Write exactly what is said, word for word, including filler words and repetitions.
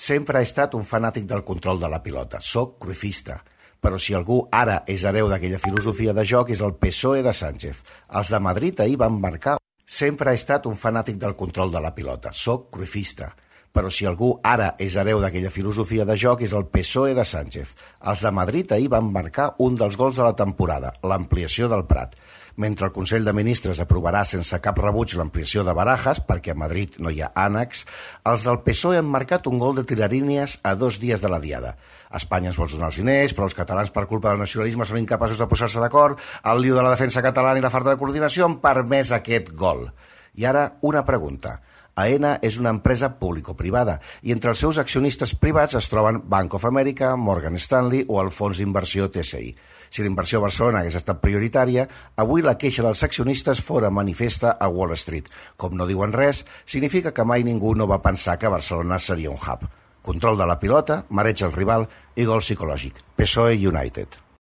Sempre he estat un fanàtic del control de la pilota. Soc cruifista. Però si algú ara és hereu d'aquella filosofia de joc és el P S O E de Sánchez. Els de Madrid ahir van marcar... Sempre he estat un fanàtic del control de la pilota. Soc cruifista. Però si algú ara és hereu d'aquella filosofia de joc és el P S O E de Sánchez. Els de Madrid ahir van marcar un dels gols de la temporada, l'ampliació del Prat. Mentre el Consell de Ministres aprovarà sense cap rebuig l'ampliació de Barajas, perquè a Madrid no hi ha ànecs, els del P S O E han marcat un gol de tiralínies a dos dies de la diada. Espanya es vol donar els diners, però els catalans per culpa del nacionalisme són incapaços de posar-se d'acord, el lío de la defensa catalana i la falta de coordinació han permès aquest gol. I ara una pregunta. Aena és una empresa público-privada i entre els seus accionistes privats es troben Bank of America, Morgan Stanley o el fons d'inversió T S I. Si la inversió a Barcelona hagués estat prioritària, avui la queixa dels accionistes fora manifesta a Wall Street. Com no diuen res, significa que mai ningú no va pensar que Barcelona seria un hub. Control de la pilota, mareig al rival i gol psicològic. P S O E United.